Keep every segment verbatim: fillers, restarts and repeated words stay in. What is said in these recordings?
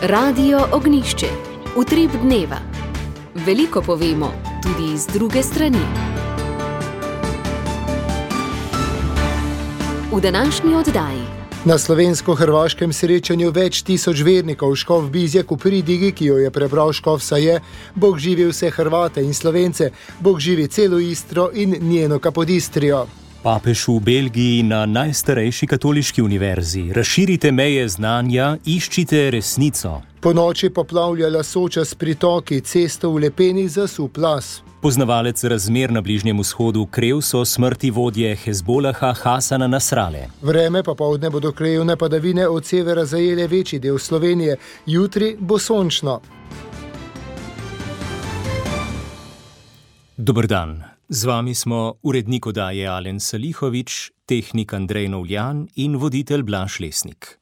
Radio Ognjišče. Utrip dneva. Veliko povemo, tudi iz druge strani. V današnji oddaji. Na slovensko-hrvaškem srečanju več tisoč vernikov škof Bizjak v pridigi, ki jo je prebral škof Saje, Bog živi vse Hrvate in Slovence, Bog živi celo Istro in njeno Kapodistrijo. Papež v Belgiji na najstarejši katoliški univerzi. Razširite meje znanja, iščite resnico. Po noči poplavljala Soča s pritoki, cesto v Lepeni zasul plaz. Poznavalec razmer na Bližnjem vzhodu Krevs o smrti vodje Hezbolaha Hasana Nasrale. Vreme popoldne bodo krajevne padavine od severa zajele večji del Slovenije. Jutri bo sončno. Dober dan. Z vami smo urednik oddaje Alen Salihovič, tehnik Andrej Novljan in voditelj Blaž Lesnik.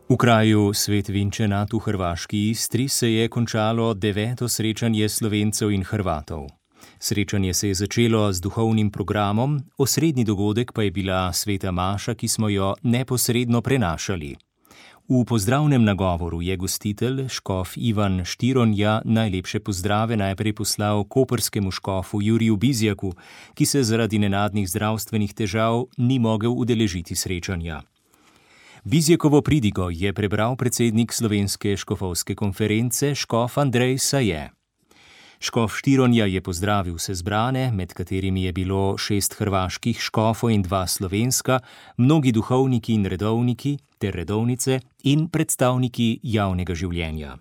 V kraju Svet Vinčenat v hrvaški Istri se je končalo deveto srečanje Slovencev in Hrvatov. Srečanje se je začelo z duhovnim programom, osrednji dogodek pa je bila sveta maša, ki smo jo neposredno prenašali. V pozdravnem nagovoru je gostitelj, škof Ivan Štironja, najlepše pozdrave najprej poslal koprskemu škofu Juriju Bizjaku, ki se zaradi nenadnih zdravstvenih težav ni mogel udeležiti srečanja. Bizjakovo pridigo je prebral predsednik Slovenske škofovske konference, škof Andrej Saje. Škof Štironja je pozdravil vse zbrane, med katerimi je bilo šest hrvaških škofov in dva slovenska, mnogi duhovniki in redovniki ter redovnice in predstavniki javnega življenja.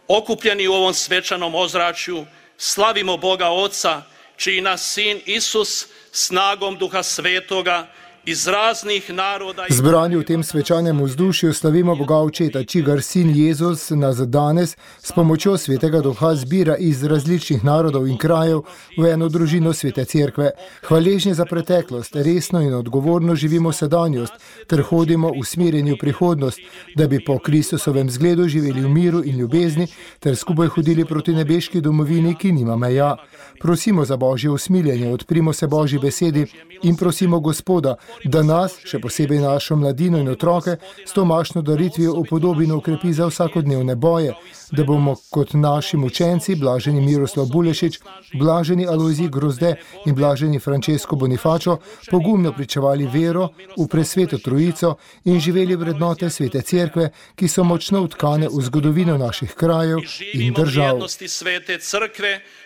Okupljeni v ovom svečanom ozračju slavimo Boga Oca, čiji nas sin Isus snagom Duha Svetoga iz raznih naroda... Zbrani v tem svečanem vzdušju slavimo Boga Očeta, čigar sin Jezus nas danes s pomočjo Svetega Duha zbira iz različnih narodov in krajev v eno družino Svete Cerkve. Hvaležni za preteklost, resno in odgovorno živimo sedanjost ter hodimo v smerjenju prihodnost, da bi po Kristusovem zgledu živeli v miru in ljubezni ter skupaj hodili proti nebeški domovini, ki nima meja. Prosimo za Božje usmiljenje, odprimo se Božji besedi in prosimo Gospoda, da nas, še posebej našo mladino in otroke, s to mašno daritvijo upodobino ukrepi za vsakodnevne boje, da bomo kot naši mučenci, blaženi Miroslav Bulešič, blaženi Alojzij Grozde in blaženi Francesco Bonifacio, pogumno pričevali vero v presveto Trojico in živeli vrednote Svete Cerkve, ki so močno vtkane v zgodovino naših krajev in držav.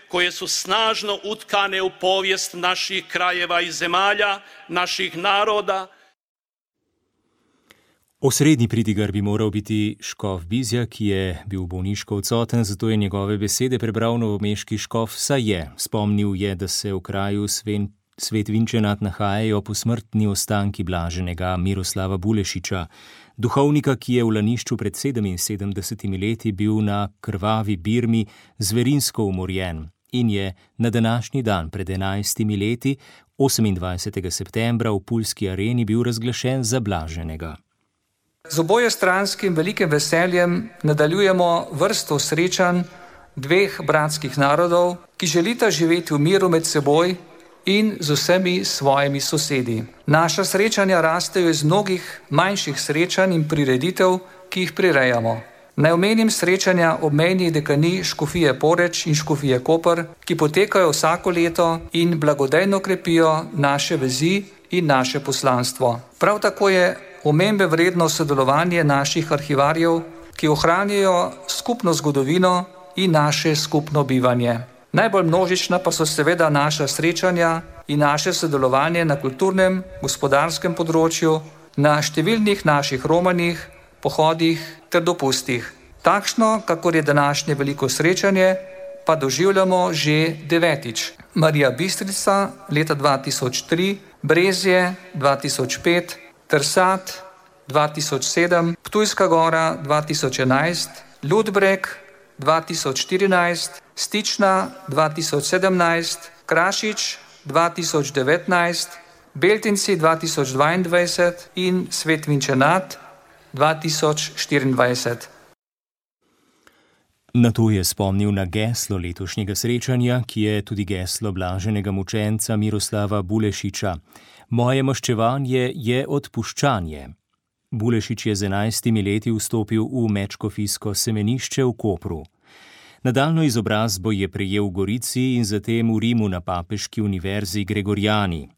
koje su snažno utkane u povijest naših krajeva i zemalja, naših naroda. Osrednji pridigar bi moral biti škof Bizjak, ki je bil bolniško odsoten, zato je njegove besede prebral novomeški škof Saje. Spomnil je, da se v kraju Sven, Svet Vinčenat nahajajo posmrtni ostanki blaženega Miroslava Bulešiča, duhovnika, ki je v Lanišču pred sedeminsedemdesetimi leti bil na krvavi Birmi zverinsko umorjen in je na današnji dan pred enajstimi leti, osemindvajsetega septembra, v Puljski areni bil razglašen za blaženega. Z obojestranskim velikim veseljem nadaljujemo vrsto srečanj dveh bratskih narodov, ki želita živeti v miru med seboj in z vsemi svojimi sosedi. Naša srečanja rastejo iz mnogih manjših srečanj in prireditev, ki jih prirejamo. Naj omenim srečanja obmejnih dekanij Škofije Poreč in Škofije Koper, ki potekajo vsako leto in blagodejno krepijo naše vezi in naše poslanstvo. Prav tako je omembe vredno sodelovanje naših arhivarjev, ki ohranjajo skupno zgodovino in naše skupno bivanje. Najbolj množična pa so seveda naša srečanja in naše sodelovanje na kulturnem, gospodarskem področju, na številnih naših romanjih, pohodih ter dopustih. Takšno, kakor je današnje veliko srečanje, pa doživljamo že devetič. Marija Bistrica leta dva tisoč tri, Brezje dva tisoč pet, Trsat dva tisoč sedem, Ptujska Gora dva tisoč enajst, Ludbreg dva tisoč štirinajst, Stična dva tisoč sedemnajst, Krašič dva tisoč devetnajst, Beltinci dva tisoč dvaindvajset in Svet Vinčenat dva tisoč štiriindvajset. Na to je spomnil na geslo letošnjega srečanja, ki je tudi geslo blaženega mučenca Miroslava Bulešiča. Moje maščevanje je odpuščanje. Bulešič je z enajstimi leti vstopil v mečkofijsko semenišče v Kopru. Nadaljnjo izobrazbo je prejel v Gorici in zatem v Rimu na papeški univerzi Gregoriani.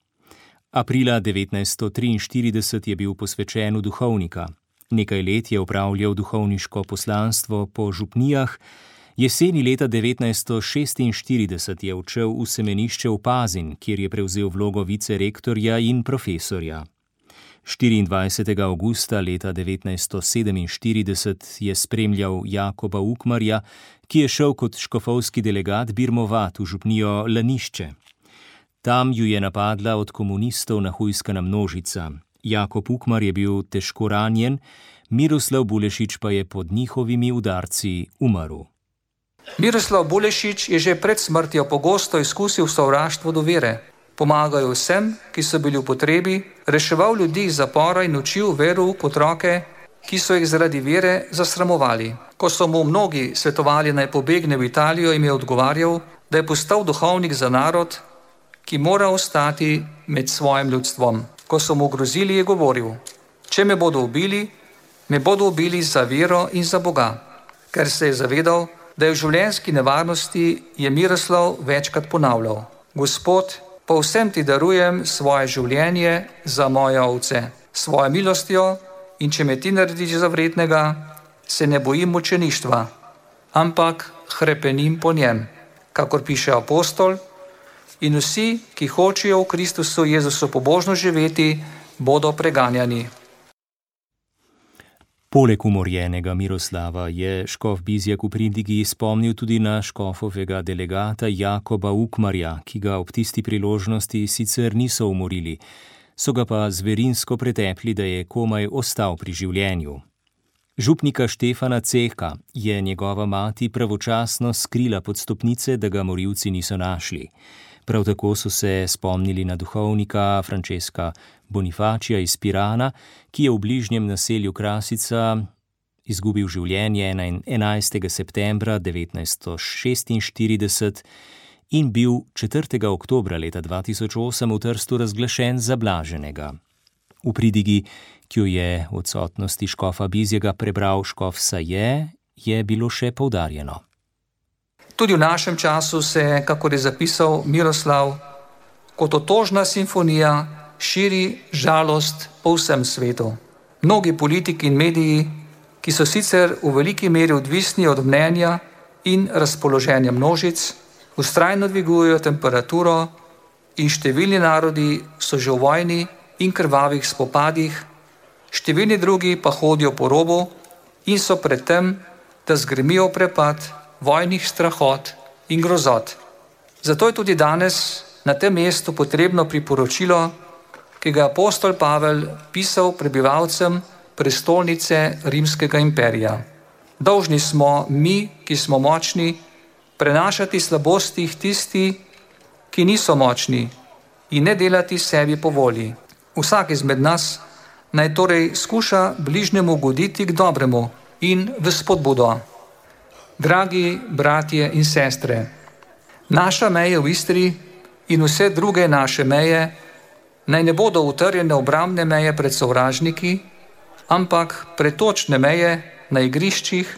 Aprila devetnajststo triinštirideset je bil posvečen v duhovnika. Nekaj let je opravljal duhovniško poslanstvo po župnijah, jeseni leta devetnajststo šestinštirideset je odšel v semenišče v Pazin, kjer je prevzel vlogo vicerektorja in profesorja. štiriindvajsetega avgusta leta devetnajststo sedeminštirideset je spremljal Jakoba Ukmarja, ki je šel kot škofovski delegat birmovat v župnijo Lanišče. Tam ju je napadla od komunistov nahujskana množica. Jakob Ukmar je bil težko ranjen, Miroslav Bulešič pa je pod njihovimi udarci umrl. Miroslav Bulešič je že pred smrtjo pogosto izkusil sovraštvo do vere. Pomagal vsem, ki so bili v potrebi, reševal ljudi iz zapora in učil verouk otroke, ki so jih zaradi vere zasramovali. Ko so mu mnogi svetovali naj pobegne v Italijo, jim je odgovarjal, da je postal duhovnik za narod, ki mora ostati med svojim ljudstvom. Ko so mu grozili, je govoril: če me bodo ubili, me bodo ubili za vero in za Boga. Ker se je zavedal, da je v življenjski nevarnosti, je Miroslav večkrat ponavljal: Gospod, povsem ti darujem svoje življenje za moje ovce. Svojo milostjo, in če me ti narediš za vrednega, se ne bojim mučeništva, ampak hrepenim po njem. Kakor piše apostol, in vsi, ki hočejo v Kristusu Jezusu pobožno živeti, bodo preganjani. Poleg umorjenega Miroslava je škof Bizjak v pridigi spomnil tudi na škofovega delegata Jakoba Ukmarja, ki ga ob tisti priložnosti sicer niso umorili, so ga pa zverinsko pretepli, da je komaj ostal pri življenju. Župnika Štefana Cehka je njegova mati pravočasno skrila pod stopnice, da ga morilci niso našli. Prav tako so se spomnili na duhovnika Franceska Bonifacija iz Pirana, ki je v bližnjem naselju Krasica izgubil življenje enajstega septembra devetnajststo šestinštirideset in bil četrtega oktobra leta dva tisoč osem v Trstu razglašen za blaženega. V pridigi, ki jo je v odsotnosti škofa Bizjega prebral škof Saje, je bilo še poudarjeno. Tudi v našem času se, kakor je zapisal Miroslav, kot otožna simfonija širi žalost po vsem svetu. Mnogi politiki in mediji, ki so sicer v veliki meri odvisni od mnenja in razpoloženja množic, vztrajno dvigujejo temperaturo in številni narodi so že v vojni in krvavih spopadih, številni drugi pa hodijo po robu in so pred tem, da zgrmijo v prepad vojnih strahot in grozot. Zato je tudi danes na tem mestu potrebno priporočilo, ki ga je apostol Pavel pisal prebivalcem prestolnice Rimskega imperija. Dolžni smo mi, ki smo močni, prenašati slabosti tisti, ki niso močni, in ne delati sebi po volji. Vsak izmed nas naj torej skuša bližnjemu ugoditi k dobremu in v spodbudo. Dragi bratje in sestre, naša meja v Istri in vse druge naše meje naj ne bodo utrjene obrambne meje pred sovražniki, ampak pretočne meje na igriščih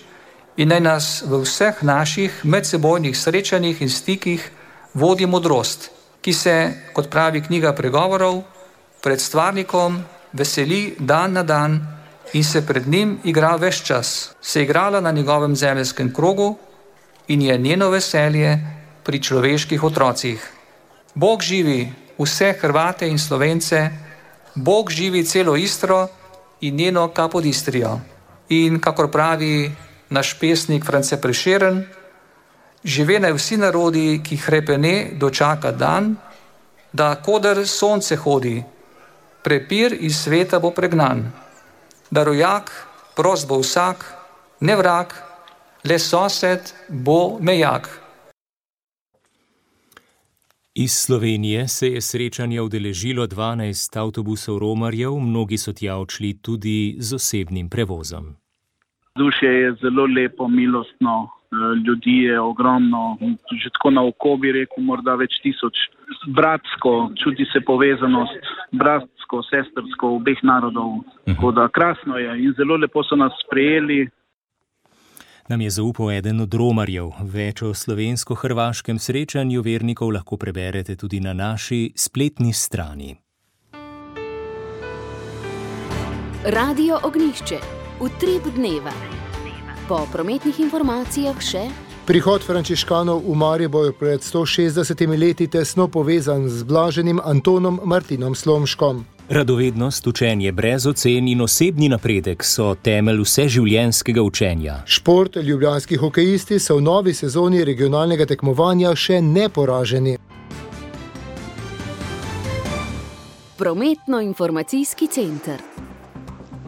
in naj nas v vseh naših medsebojnih srečanjih in stikih vodi modrost, ki se, kot pravi knjiga pregovorov, pred stvarnikom veseli dan na dan in se pred njim igra ves čas, se igrala na njegovem zemeljskem krogu in je njeno veselje pri človeških otrocih. Bog živi vse Hrvate in Slovence, Bog živi celo Istro in njeno Kapodistrijo. In kakor pravi naš pesnik France Prešeren, žive naj vsi narodi, ki hrepene dočaka dan, da koder sonce hodi, prepir iz sveta bo pregnan. Da rojak, prost bo vsak, ne vrag, le sosed bo mejak. Iz Slovenije se je srečanje udeležilo dvanajst avtobusov romarjev, mnogi so tja odšli tudi z osebnim prevozom. Vzdušje je zelo lepo, milostno, ljudi je ogromno, že tako na oko bi rekel, morda več tisoč. Bratsko, čuti se povezanost, bratsko, sestrsko obeh narodov. Tako da krasno je in zelo lepo so nas sprejeli. Nam je zaupal eden od romarjev. Več o slovensko-hrvaškem srečanju vernikov lahko preberete tudi na naši spletni strani. Radio Ognjišče. Utrip dneva. Po prometnih informacijah še... Prihod frančiškanov v Maribor pred sto šestdesetimi leti tesno povezan z blaženim Antonom Martinom Slomškom. Radovednost, učenje brez ocen in osebni napredek so temelj vseživljenjskega učenja. Šport, ljubljanski hokejisti so v novi sezoni regionalnega tekmovanja še neporaženi. Prometno-informacijski center.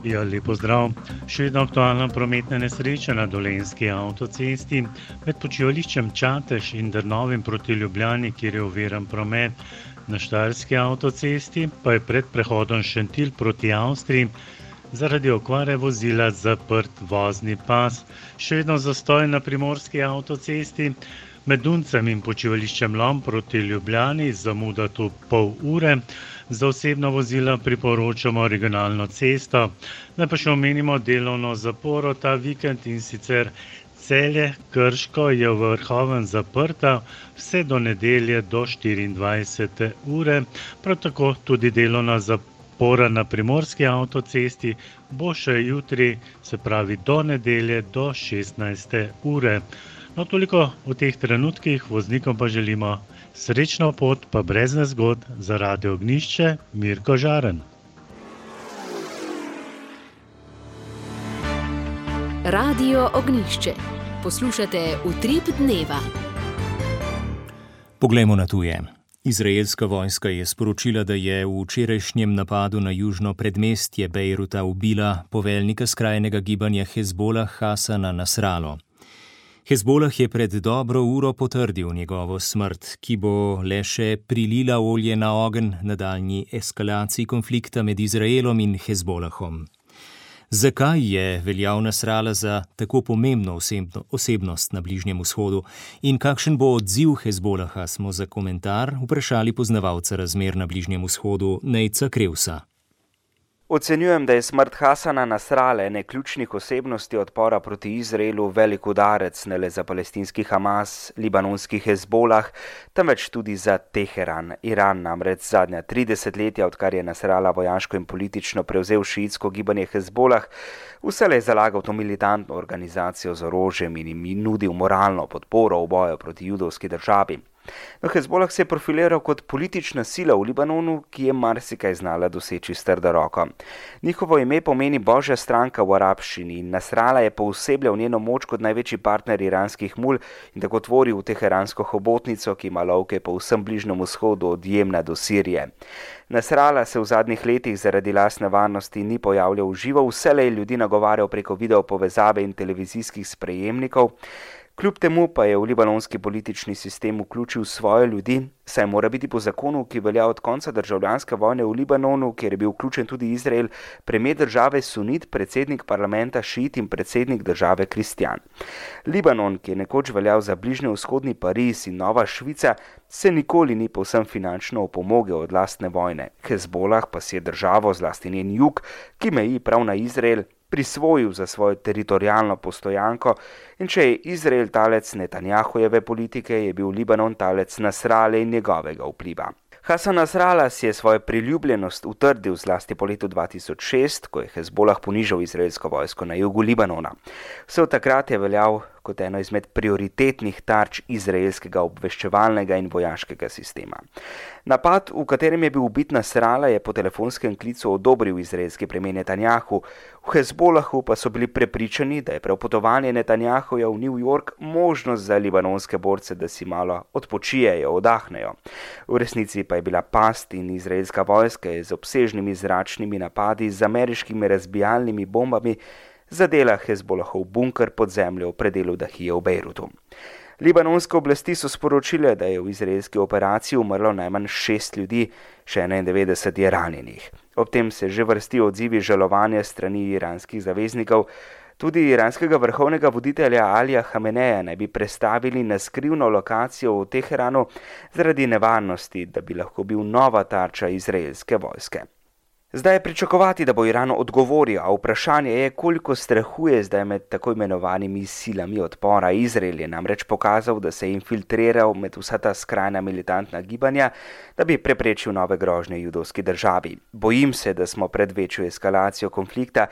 Ja, lepo zdrav. Še vedno aktualna prometna nesreča na Dolenjski avtocesti med počivališčem Čatež in Drnovim proti Ljubljani, kjer je oviran promet. Na Štajerski avtocesti pa je pred prehodom Šentilj proti Avstriji zaradi okvare vozila zaprt vozni pas. Še vedno zastoj na Primorski avtocesti med Duncem in počivališčem Lom proti Ljubljani, zamuda tu pol ure. Za osebno vozila priporočamo regionalno cesto. Naj pa še omenimo delovno zaporo ta vikend, in sicer Celje, Krško je v Vrhovem zaprta vse do nedelje do štiriindvajsete ure. Prav tako tudi delovna zapora na Primorski avtocesti bo še jutri, se pravi do nedelje do šestnajste ure. No, toliko v teh trenutkih, voznikom pa želimo srečno pot, pa brez nezgod. Za Radio Ognjišče, Mirko Žaren. Radio Ognjišče. Poslušate Utrip dneva. Poglejmo na tuje. Izraelska vojska je sporočila, da je v včerajšnjem napadu na južno predmestje Bejruta ubila poveljnika skrajnega gibanja Hezbolah Hasana Nasralo. Hezbolah je pred dobro uro potrdil njegovo smrt, ki bo le še prilila olje na ogenj nadaljnji eskalaciji konflikta med Izraelom in Hezbolahom. Zakaj je veljal Nasrala za tako pomembno osebnost na Bližnjem vzhodu in kakšen bo odziv Hezbolaha, smo za komentar vprašali poznavalca razmer na Bližnjem vzhodu Nejca Krevsa. Ocenjujem, da je smrt Hasana Nasrale, ene ključnih osebnosti odpora proti Izraelu, velik udarec ne le za palestinski Hamas, libanonski Hezbolah, temveč tudi za Teheran. Iran namreč zadnja tri desetletja, odkar je Nasrala vojaško in politično prevzel šiitsko gibanje Hezbolah, vselej zalagal to militantno organizacijo z orožjem in jim nudil moralno podporo v boju proti judovski državi. No, Hezbolah se je profiliral kot politična sila v Libanonu, ki je marsikaj znala doseči s trdo roko. Njihovo ime pomeni Božja stranka v arabščini in Nasrala je poosebljal njeno moč kot največji partner iranskih mul in tako tvoril teheransko hobotnico, ki ima lovke po vsem Bližnjem vzhodu od Jemna do Sirije. Nasrala se v zadnjih letih zaradi lastne varnosti ni pojavljal v živo, vselej ljudi nagovarjal preko video povezave in televizijskih sprejemnikov. Kljub temu pa je v libanonski politični sistem vključil svoje ljudi, saj mora biti po zakonu, ki velja od konca državljanske vojne v Libanonu, kjer je bil vključen tudi Izrael, premijer države sunit, predsednik parlamenta šiit in predsednik države kristjan. Libanon, ki je nekoč veljal za bližnjevzhodni Pariz in Nova Švica, se nikoli ni povsem finančno opomogel od lastne vojne. Hezbolah pa si je državo, zlasti njen jug, ki meji prav na Izrael, prisvojil za svojo teritorijalno postojanko in če je Izrael talec Netanjahujeve politike, je bil Libanon talec Nasrale in njegovega vpliva. Hasan Nasrala si je svojo priljubljenost utrdil zlasti po letu dva tisoč šest, ko je Hezbolah ponižal izraelsko vojsko na jugu Libanona. Vse od takrat je veljal kot eno izmed prioritetnih tarč izraelskega obveščevalnega in vojaškega sistema. Napad, v katerem je bil ubit Nasrala, je po telefonskem klicu odobril izraelski premijer Netanjahu. V Hezbolahu pa so bili prepričani, da je prav potovanje Netanjahuja v New York možnost za libanonske borce, da si malo odpočijejo, odahnejo. V resnici pa je bila past in izraelska vojska je z obsežnimi zračnimi napadi z ameriškimi razbijalnimi bombami zadela Hezbolahov bunker pod zemljo v predelu Dahije v Bejrutu. Libanonske oblasti so sporočile, da je v izraelski operaciji umrlo najmanj šest ljudi, še enaindevetdeset je ranjenih. Ob tem se že vrstijo odzivi žalovanja strani iranskih zaveznikov, Tudi iranskega vrhovnega voditelja Alija Hameneja naj bi prestavili na skrivno lokacijo v Teheranu zaradi nevarnosti, da bi lahko bil nova tarča izraelske vojske. Zdaj je pričakovati, da bo Iran odgovoril, a vprašanje je, koliko strahu je zdaj med tako imenovanimi silami odpora. Izrael je namreč pokazal, da se je infiltriral med vsa ta skrajna militantna gibanja, da bi preprečil nove grožnje judovski državi. Bojim se, da smo pred večjo eskalacijo konflikta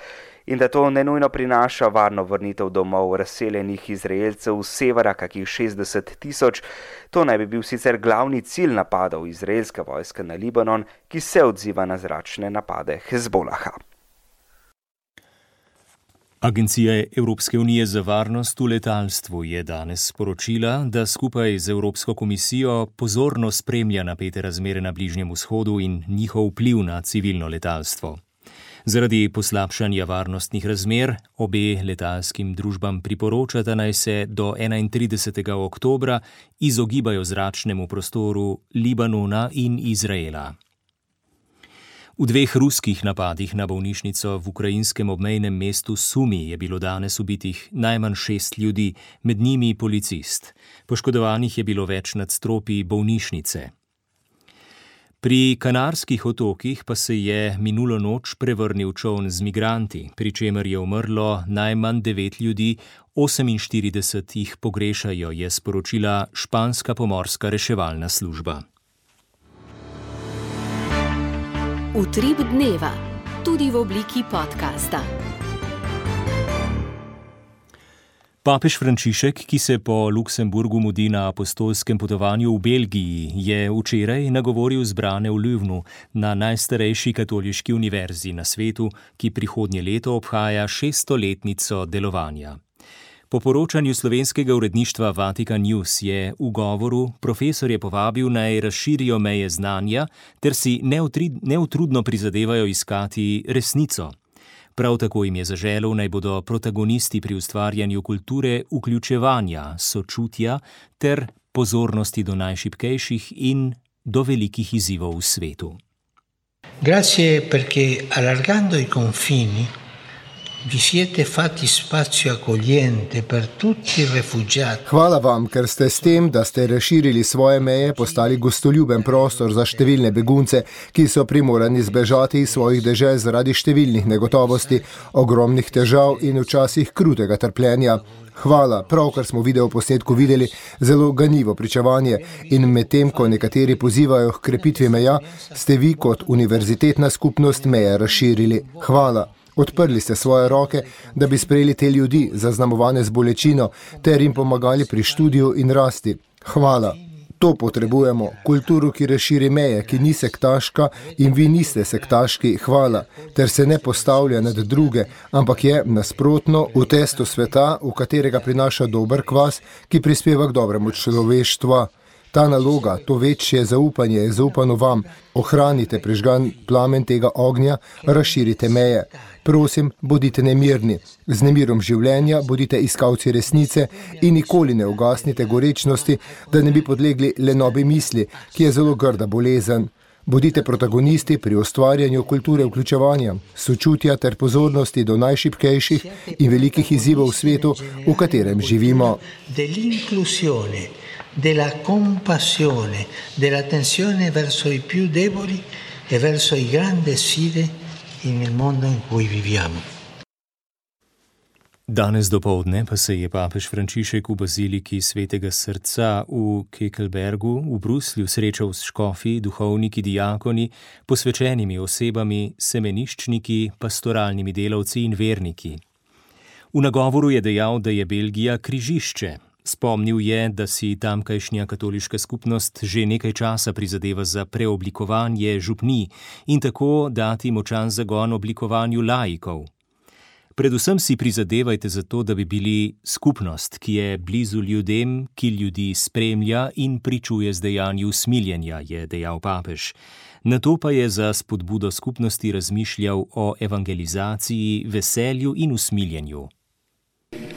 in da to nenujno prinaša varno vrnitev domov razseljenih Izraelcev z severa, kakih šestdeset tisoč. To naj bi bil sicer glavni cilj napadov izraelske vojske na Libanon, ki se odziva na zračne napade Hezbolaha. Agencija Evropske unije za varnost v letalstvu je danes sporočila, da skupaj z Evropsko komisijo pozorno spremlja napete razmere na Bližnjem vzhodu in njihov vpliv na civilno letalstvo. Zaradi poslabšanja varnostnih razmer obe letalskim družbam priporočata, naj se do enaintridesetega oktobra izogibajo zračnemu prostoru Libanona in Izraela. V dveh ruskih napadih na bolnišnico v ukrajinskem obmejnem mestu Sumi je bilo danes ubitih najmanj šest ljudi, med njimi policist. Poškodovanih je bilo več nadstropij bolnišnice. Pri Kanarskih otokih pa se je minulo noč prevrnil čoln z migranti, pri čemer je umrlo najmanj devet ljudi, oseminštirideset jih pogrešajo, je sporočila španska pomorska reševalna služba. Utrip dneva, tudi v obliki podcasta. Papež Frančišek, ki se po Luksemburgu mudi na apostolskem potovanju v Belgiji, je včeraj nagovoril zbrane v Lövnu na najstarejši katoliški univerzi na svetu, ki prihodnje leto obhaja šeststoletnico delovanja. Po poročanju slovenskega uredništva Vatikan News je v govoru profesorje povabil, naj razširijo meje znanja ter si neutrudno prizadevajo iskati resnico. Prav tako jim je zaželel, naj bodo protagonisti pri ustvarjanju kulture vključevanja, sočutja ter pozornosti do najšibkejših in do velikih izzivov v svetu. Grazie perché allargando i confini vi siete fatti spazio accogliente per tutti i rifugiati. Hvala vam, ker ste s tem, da ste razširili svoje meje, postali gostoljuben prostor za številne begunce, ki so primorani zbežati iz svojih dežel zaradi številnih negotovosti, ogromnih težav in včasih krutega trpljenja. Hvala, pravkar smo video posnetku videli zelo ganljivo pričevanje in medtem, ko nekateri pozivajo k krepitvi meja, ste vi kot univerzitetna skupnost meje razširili. Hvala. Odprli ste svoje roke, da bi sprejeli te ljudi, zaznamovane z bolečino, ter jim pomagali pri študiju in rasti. Hvala. To potrebujemo. Kulturo, ki razširi meje, ki ni sektaška in vi niste sektaški. Hvala. Ter se ne postavlja nad druge, ampak je nasprotno v testo sveta, v katerega prinaša dober kvas, ki prispeva k dobremu človeštva. Ta naloga, to večje zaupanje je zaupano vam. Ohranite prižgan plamen tega ognja, razširite meje. Prosim, bodite nemirni. Z nemirom življenja bodite iskalci resnice in nikoli ne ugasnite gorečnosti, da ne bi podlegli lenobi misli, ki je zelo grda bolezen. Bodite protagonisti pri ustvarjanju kulture vključevanja, sočutja ter pozornosti do najšibkejših in velikih izzivov v svetu, v katerem živimo. Della compassione, dell'attenzione verso i più deboli e verso i grandi sfide nel mondo in cui viviamo. Danes dopoldne pa se je papež Frančišek v baziliki Svetega srca v Kekelbergu v Bruslju srečal s škofi, duhovniki, diakoni, posvečenimi osebami, semeniščniki, pastoralnimi delavci in verniki. V nagovoru je dejal, da je Belgija križišče. Spomnil je, da si tamkajšnja katoliška skupnost že nekaj časa prizadeva za preoblikovanje župnij in tako dati močan zagon oblikovanju laikov. Predvsem si prizadevajte za to, da bi bili skupnost, ki je blizu ljudem, ki ljudi spremlja in pričuje z dejanju usmiljenja, je dejal papež. Nato pa je za spodbudo skupnosti razmišljal o evangelizaciji, veselju in usmiljenju.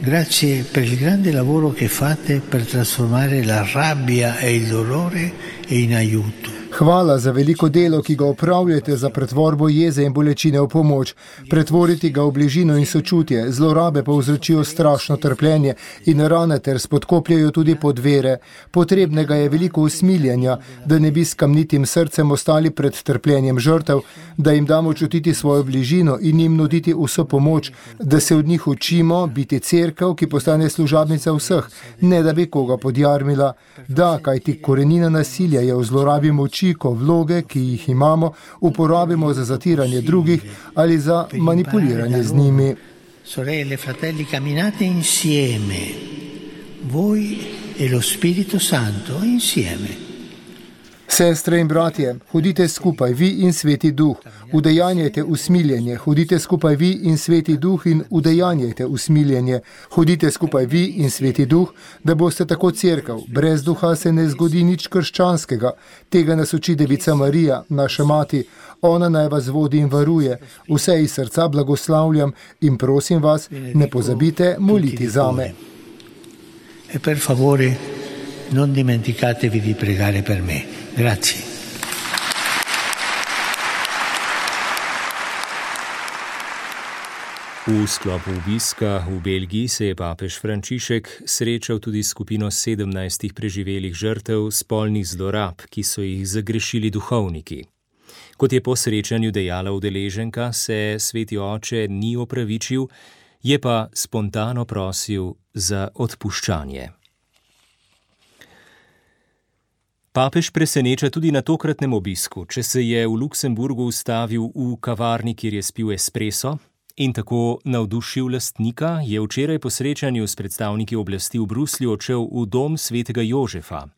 Grazie per il grande lavoro che fate per trasformare la rabbia e il dolore in aiuto. Hvala za veliko delo, ki ga opravljate za pretvorbo jeze in bolečine v pomoč. Pretvoriti ga v bližino in sočutje, zlorabe povzročijo strašno trpljenje in rane ter spodkopljajo tudi podvere. Potrebnega je veliko usmiljanja, da ne bi s kamnitim srcem ostali pred trpljenjem žrtev, da jim damo čutiti svojo bližino in jim nuditi vso pomoč, da se od njih učimo biti cerkev, ki postane služabnica vseh, ne da bi koga podjarmila. Da, kajti korenina nasilja je v zlorabi moči, ko vloge, ki jih imamo, uporabimo za zatiranje drugih ali za manipuliranje z njimi. Sorelle, fratelli, camminate insieme. Voi e lo Spirito Santo insieme. Sestre in bratje, hodite skupaj, vi in Sveti Duh, udejanjajte usmiljenje, hodite skupaj vi in Sveti Duh in udejanjajte usmiljenje, hodite skupaj vi in Sveti Duh, da boste tako cerkev. Brez duha se ne zgodi nič krščanskega. Tega nas uči Devica Marija, naša mati. Ona naj vas vodi in varuje. Vse iz srca blagoslavljam in prosim vas, ne pozabite moliti zame. E per favore, non dimenticatevi di pregare per me. Grazie. V sklopu obiska v Belgiji se je papež Frančišek srečal tudi s skupino sedemnajstih preživelih žrtev spolnih zlorab, ki so jih zagrešili duhovniki. Kot je po srečanju dejala udeleženka, se sveti oče ni opravičil, je pa spontano prosil za odpuščanje. Papež preseneča tudi na tokratnem obisku, če se je v Luksemburgu ustavil v kavarni, kjer je spil espresso in tako navdušil lastnika, je včeraj po srečanju s predstavniki oblasti v Bruslju odšel v dom svetega Jožefa.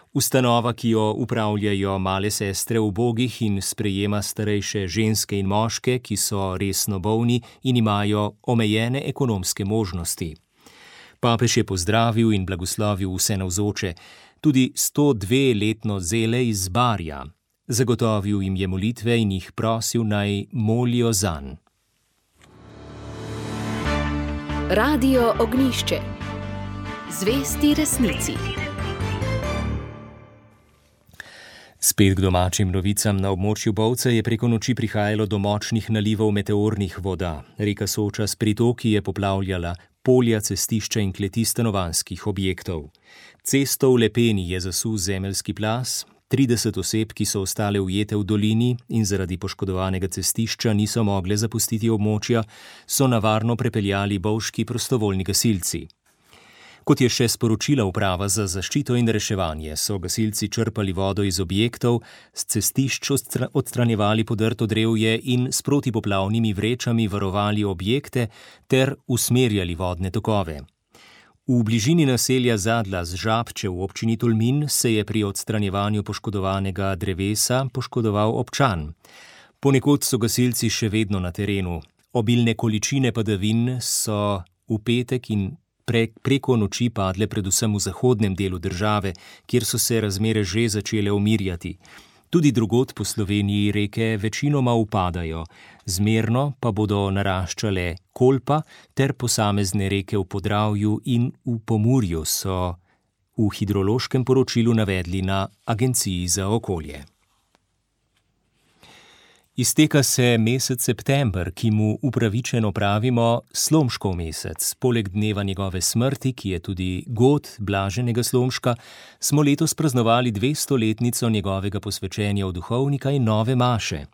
Ustanova, ki jo upravljajo male sestre ubogih in sprejema starejše ženske in moške, ki so resno bolni in imajo omejene ekonomske možnosti. Papež je pozdravil in blagoslovil vse navzoče, tudi sto dve letno zele iz Barja. Zagotovil jim je molitve in jih prosil, naj molijo zanj. Radio Ognjišče. Zvesti resnici. Spet k domačim novicam. Na območju Bovca je preko noči prihajalo do močnih nalivov meteornih voda. Reka Soča s pritoki je poplavljala polja, cestišča in kleti stanovanjskih objektov. Cesto v Lepeni je zasul zemeljski plaz, trideset oseb, ki so ostale ujete v dolini in zaradi poškodovanega cestišča niso mogle zapustiti območja, so na varno prepeljali bovški prostovoljni gasilci. Kot je še sporočila uprava za zaščito in reševanje, so gasilci črpali vodo iz objektov, s cestišč odstranjevali podrto drevje in s protipoplavnimi vrečami varovali objekte ter usmerjali vodne tokove. V bližini naselja Zadla z Žabče v občini Tolmin se je pri odstranjevanju poškodovanega drevesa poškodoval občan. Ponekod so gasilci še vedno na terenu. Obilne količine padavin so v petek in pre, preko noči padle predvsem v zahodnem delu države, kjer so se razmere že začele umirjati. Tudi drugod po Sloveniji reke večinoma upadajo, zmerno pa bodo naraščale Kolpa ter posamezne reke v Podravju in v Pomurju, so v hidrološkem poročilu navedli na Agenciji za okolje. Izteka se mesec september, ki mu upravičeno pravimo Slomškov mesec. Poleg dneva njegove smrti, ki je tudi god Blaženega Slomška, smo letos praznovali dvestoletnico njegovega posvečenja v duhovnika in nove maše.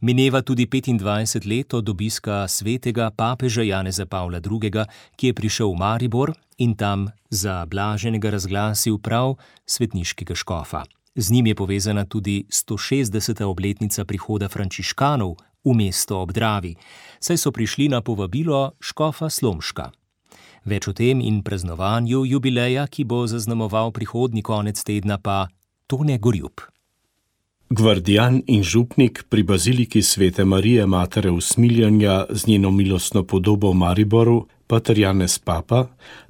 Mineva tudi petindvajset let od obiska svetega papeža Janeza Pavla drugega, ki je prišel v Maribor in tam za Blaženega razglasil prav svetniškega škofa. Z njim je povezana tudi sto šestdeseta obletnica prihoda frančiškanov v mesto ob Dravi, saj so prišli na povabilo škofa Slomška. Več o tem in praznovanju jubileja, ki bo zaznamoval prihodnji konec tedna, pa Tone Gorjup. Gvardijan in župnik pri baziliki Svete Marije Matere usmiljanja z njeno milostno podobo v Mariboru, pater Janez Papa,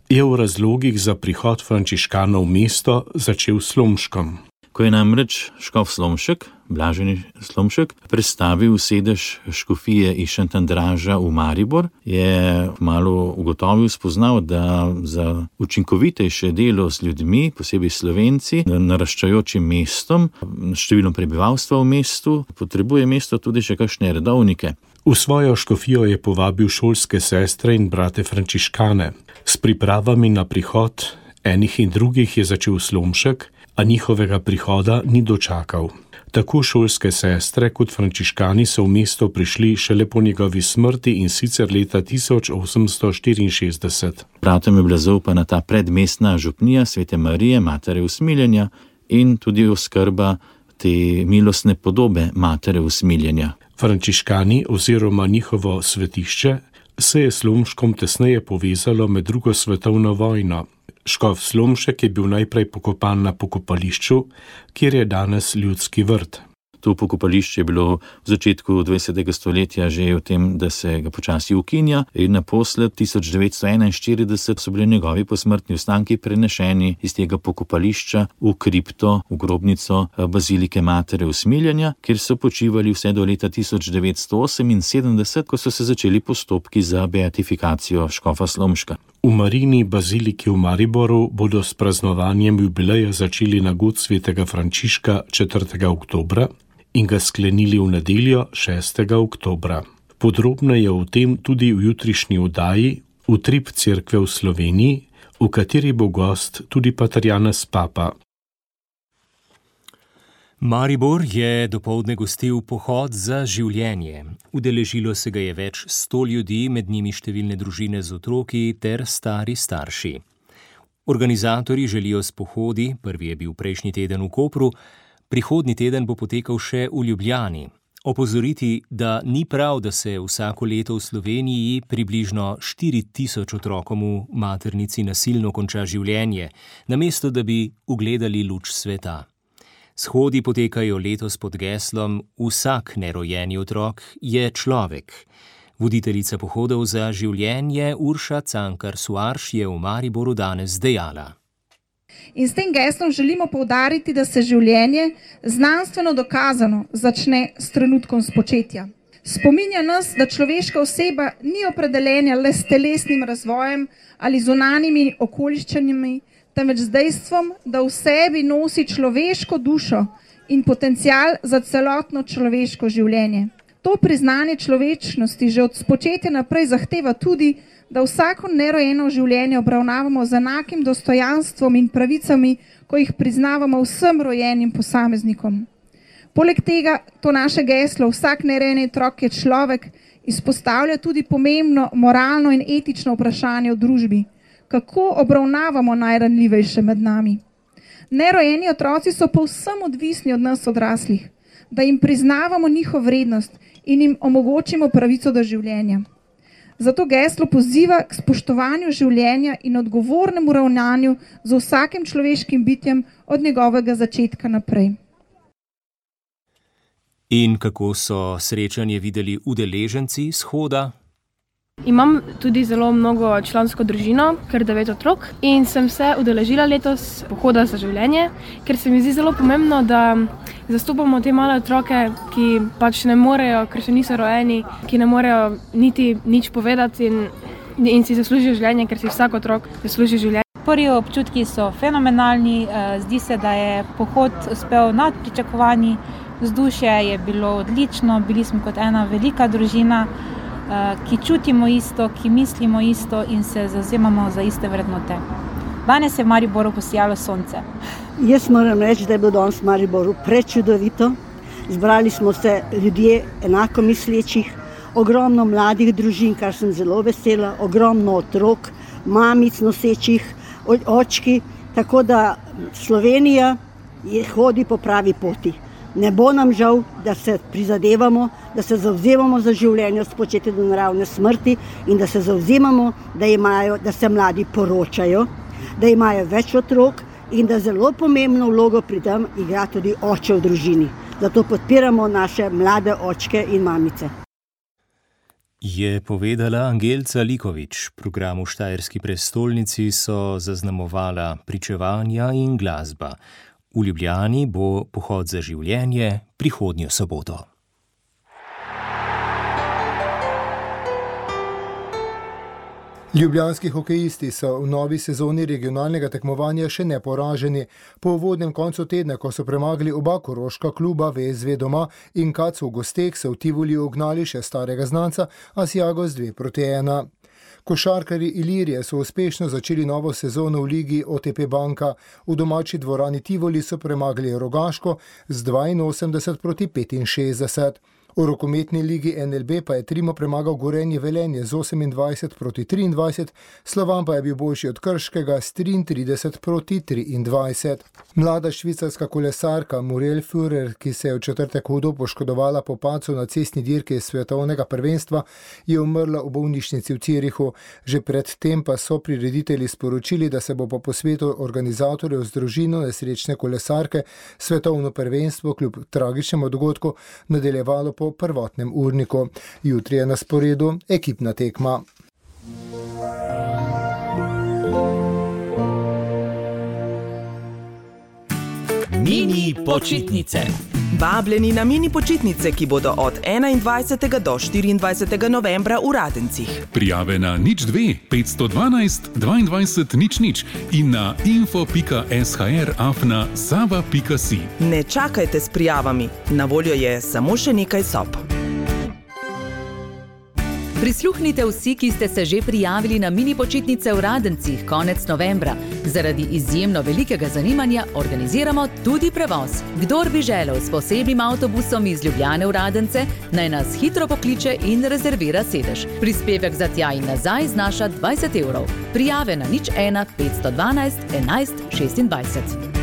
je v razlogih za prihod frančiškanov v mesto začel s Slomškom. Ko je namreč škof Slomšek, Blaženi Slomšek, prestavil sedež škofije iz Šentandraža v Maribor, je malo ugotovil, spoznal, da za učinkovitejše delo z ljudmi, posebej Slovenci, naraščajočim mestom, številom prebivalstva v mestu, potrebuje mesto tudi še kakšne redovnike. V svojo škofijo je povabil šolske sestre in brate frančiškane. S pripravami na prihod enih in drugih je začel Slomšek, a njihovega prihoda ni dočakal. Tako šolske sestre kot frančiškani so v mesto prišli šele po njegovi smrti in sicer leta tisoč osemsto štiriinšestdeset. Bratom je bila zaupana ta predmestna župnija Svete Marije, Matere usmiljenja in tudi oskrba te milostne podobe Matere usmiljenja. Frančiškani oziroma njihovo svetišče se je s Slomškom tesneje povezalo med drugo svetovno vojno. Škof Slomšek je bil najprej pokopan na pokopališču, kjer je danes ljudski vrt. To pokopališče je bilo v začetku dvajsetega stoletja že v tem, da se ga počasi ukinja in naposled tisoč devetsto enainštirideset so bili njegovi posmrtni ostanki prenešeni iz tega pokopališča v kripto, v grobnico bazilike Matere usmiljenja, kjer so počivali vse do leta tisoč devetsto oseminsedemdeset, ko so se začeli postopki za beatifikacijo škofa Slomška. V Marijini baziliki v Mariboru bodo s praznovanjem jubileja začeli na god svetega Frančiška četrtega oktobra in ga sklenili v nedeljo šestega oktobra. Podrobneje o tem tudi v jutrišnji oddaji Utrip cerkve v Sloveniji, v kateri bo gost tudi pater Janez Papa. Maribor je dopoldne gostil pohod za življenje. Udeležilo se ga je več sto ljudi, med njimi številne družine z otroki ter stari starši. Organizatorji želijo s pohodi, prvi je bil prejšnji teden v Kopru, prihodnji teden bo potekal še v Ljubljani. Opozoriti, da ni prav, da se vsako leto v Sloveniji približno štiri tisoč otrokom v maternici nasilno konča življenje, namesto da bi ugledali luč sveta. Shodi potekajo letos pod geslom Vsak nerojeni otrok je človek. Voditeljica pohodov za življenje Urša Cankar-Suarš je v Mariboru danes dejala. In s tem geslom želimo poudariti, da se življenje znanstveno dokazano začne s trenutkom spočetja. Spominja nas, da človeška oseba ni opredeljena le s telesnim razvojem ali zunanjimi okoliščinami, temveč z dejstvom, da v sebi nosi človeško dušo in potencial za celotno človeško življenje. To priznanje človečnosti že od spočetja naprej zahteva tudi, da vsako nerojeno življenje obravnavamo z enakim dostojanstvom in pravicami, ko jih priznavamo vsem rojenim posameznikom. Poleg tega to naše geslo Vsak nerojeni otrok je človek izpostavlja tudi pomembno moralno in etično vprašanje v družbi. Kako obravnavamo najranljivejše med nami? Nerojeni otroci so povsem odvisni od nas odraslih, da jim priznavamo njihov vrednost in jim omogočimo pravico do življenja. Zato geslo poziva k spoštovanju življenja in odgovornemu ravnanju z vsakim človeškim bitjem od njegovega začetka naprej. In kako so srečanje videli udeleženci shoda? Imam tudi zelo mnogo člansko družino, kar devet otrok, in sem se udeležila letos pohoda za življenje, ker se mi zdi zelo pomembno, da zastopamo te male otroke, ki pač ne morejo, ker še niso rojeni, ki ne morejo niti nič povedati in, in si zaslužijo življenje, ker si vsak otrok zasluži življenje. Prvi občutki so fenomenalni, zdi se, da je pohod uspel nad pričakovanji, vzdušje je bilo odlično, bili smo kot ena velika družina, ki čutimo isto, ki mislimo isto in se zavzemamo za iste vrednote. Danes je v Mariboru posijalo sonce. Jaz moram reči, da je bilo danes v Mariboru prečudovito. Zbrali smo se ljudje enako mislečih, ogromno mladih družin, kar sem zelo vesela, ogromno otrok, mamic nosečih, očki, tako da Slovenija hodi po pravi poti. Ne bo nam žal, da se prizadevamo, da se zavzemamo za življenje spočetja do naravne smrti in da se zavzemamo, da, imajo, da se mladi poročajo, da imajo več otrok in da zelo pomembno vlogo pri tem igra tudi oče v družini. Zato podpiramo naše mlade očke in mamice. Je povedala Angelca Likovič. Program v Štajerski prestolnici so zaznamovala pričevanja in glasba. V Ljubljani bo pohod za življenje prihodnjo soboto. Ljubljanski hokejisti so v novi sezoni regionalnega tekmovanja še neporaženi. Po uvodnem koncu tedna, ko so premagali oba koroška kluba V S V doma in Kac v gosteh, so v Tivoliju ugnali še starega znanca Asiago z dve proti ena. Košarkarji Ilirije so uspešno začeli novo sezono v ligi O T P Banka. V domači dvorani Tivoli so premagali Rogaško z dvainosemdeset proti petinšestdeset. V rokometni ligi N L B pa je Trimo premagal Gorenje Velenje z osemindvajset proti triindvajset, Slovan pa je bil boljši od Krškega s triintrideset proti triindvajset. Mlada švicarska kolesarka Muriel Führer, ki se je v četrtek hudo poškodovala po padcu na cestni dirki svetovnega prvenstva, je umrla v bolnišnici v Cirihu. Že pred tem pa so prireditelji sporočili, da se bo po posvetu organizatorjev z družino nesrečne kolesarke svetovno prvenstvo kljub tragičnemu dogodku nadaljevalo po prvotnem urniku. Jutri je na sporedu ekipna tekma. Mini počitnice. Vabljeni na mini počitnice, ki bodo od enaindvajsetega do štiriindvajsetega novembra v Radencih. Prijave na nič dve petsto dvanajst dvaindvajset nič nič in na info pika s h r afna sava pika si. Ne čakajte s prijavami, na voljo je samo še nekaj sob. Prisluhnite vsi, ki ste se že prijavili na mini počitnice v Radencih konec novembra. Zaradi izjemno velikega zanimanja organiziramo tudi prevoz. Kdor bi želel s posebnim avtobusom iz Ljubljane v Radence, naj nas hitro pokliče in rezervira sedež. Prispevek za tja in nazaj znaša dvajset evrov. Prijave na nič ena petsto dvanajst enajst šestindvajset.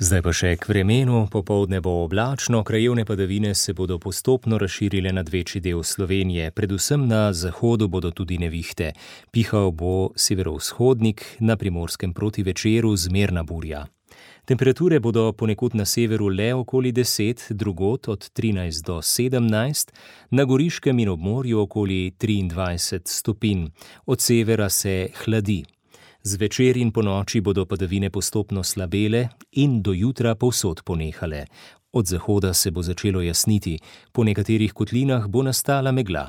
Zdaj pa še k vremenu. Popoldne bo oblačno, krajevne padavine se bodo postopno razširile nad večji del Slovenije. Predvsem na zahodu bodo tudi nevihte. Pihal bo severovzhodnik, na Primorskem proti večeru zmerna burja. Temperature bodo ponekod na severu le okoli deset, drugod od trinajst do sedemnajst, na Goriškem in ob morju okoli triindvajset stopinj. Od severa se hladi. Zvečer in ponoči bodo padavine postopno slabele in do jutra povsod ponehale. Od zahoda se bo začelo jasniti, po nekaterih kotlinah bo nastala megla.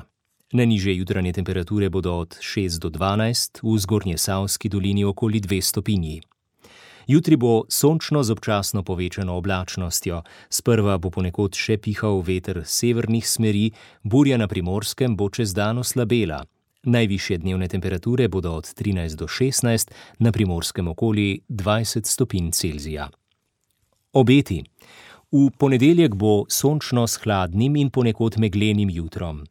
Najnižje jutranje temperature bodo od šest do dvanajst, v Zgornjesavski dolini okoli dve stopinji. Jutri bo sončno z občasno povečano oblačnostjo. Sprva bo ponekod še pihal veter severnih smeri, burja na Primorskem bo čez dan oslabela. Najvišje dnevne temperature bodo od trinajst do šestnajst, na Primorskem okoli dvajset stopinj Celzija. Obeti. V ponedeljek bo sončno s hladnim in ponekod meglenim jutrom.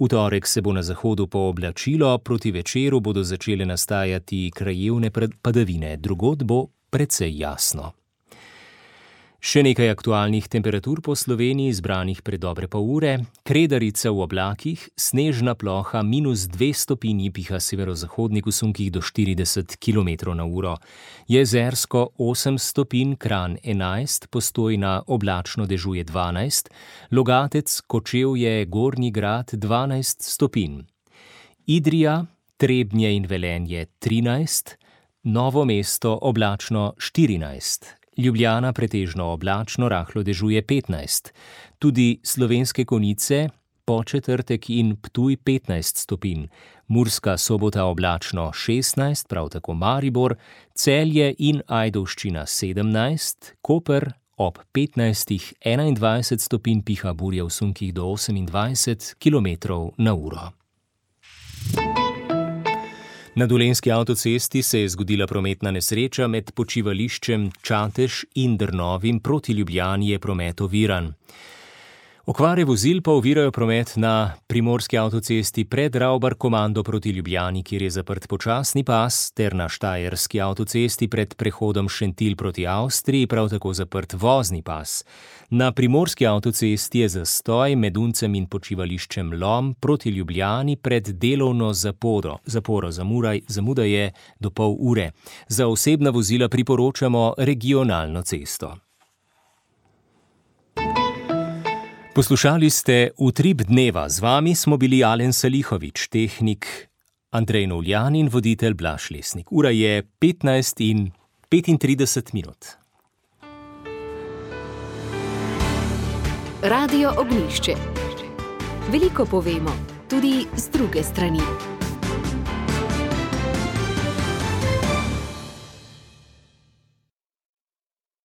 V torek se bo na zahodu pooblačilo, proti večeru bodo začele nastajati krajevne padavine, drugod bo precej jasno. Še nekaj aktualnih temperatur po Sloveniji, zbranih pred dobre pol ure. Kredarica v oblakih, snežna ploha minus dve stopinji, piha severozahodnik v sunkih do štirideset kilometrov na uro. Jezersko osem stopinj, Kranj enajst, Postojna oblačno dežuje dvanajst, Logatec, Kočevje, Gornji Grad dvanajst stopinj. Idrija, Trebnje in Velenje trinajst, Novo mesto oblačno štirinajst. Ljubljana pretežno oblačno, rahlo dežuje petnajst. Tudi Slovenske Konjice, Podčetrtek in Ptuj petnajst stopinj. Murska Sobota oblačno šestnajst, prav tako Maribor, Celje in Ajdovščina sedemnajst, Koper ob petnajstih enaindvajset stopinj, piha burja v sunkih do osemindvajset kilometrov na uro. Na Dolenjski avtocesti se je zgodila prometna nesreča med počivališčem Čatež in Drnovim, proti Ljubljani je promet oviran. Okvare vozil pa ovirajo promet na Primorski avtocesti pred Ravbar-Komando proti Ljubljani, kjer je zaprt počasni pas, ter na Štajerski avtocesti pred prehodom Šentilj proti Avstriji, prav tako zaprt vozni pas. Na Primorski avtocesti je zastoj med Uncem in počivališčem Lom proti Ljubljani pred delovno zaporo. Zaporo zamuraj, zamuda je do pol ure. Za osebna vozila priporočamo regionalno cesto. Poslušali ste Utrip dneva, z vami smo bili Alen Salihovič, tehnik Andrej Novljan in voditelj Blaž Lesnik. Ura je petnajst in petintrideset minut. Radio Ognjišče. Veliko povemo, tudi z druge strani.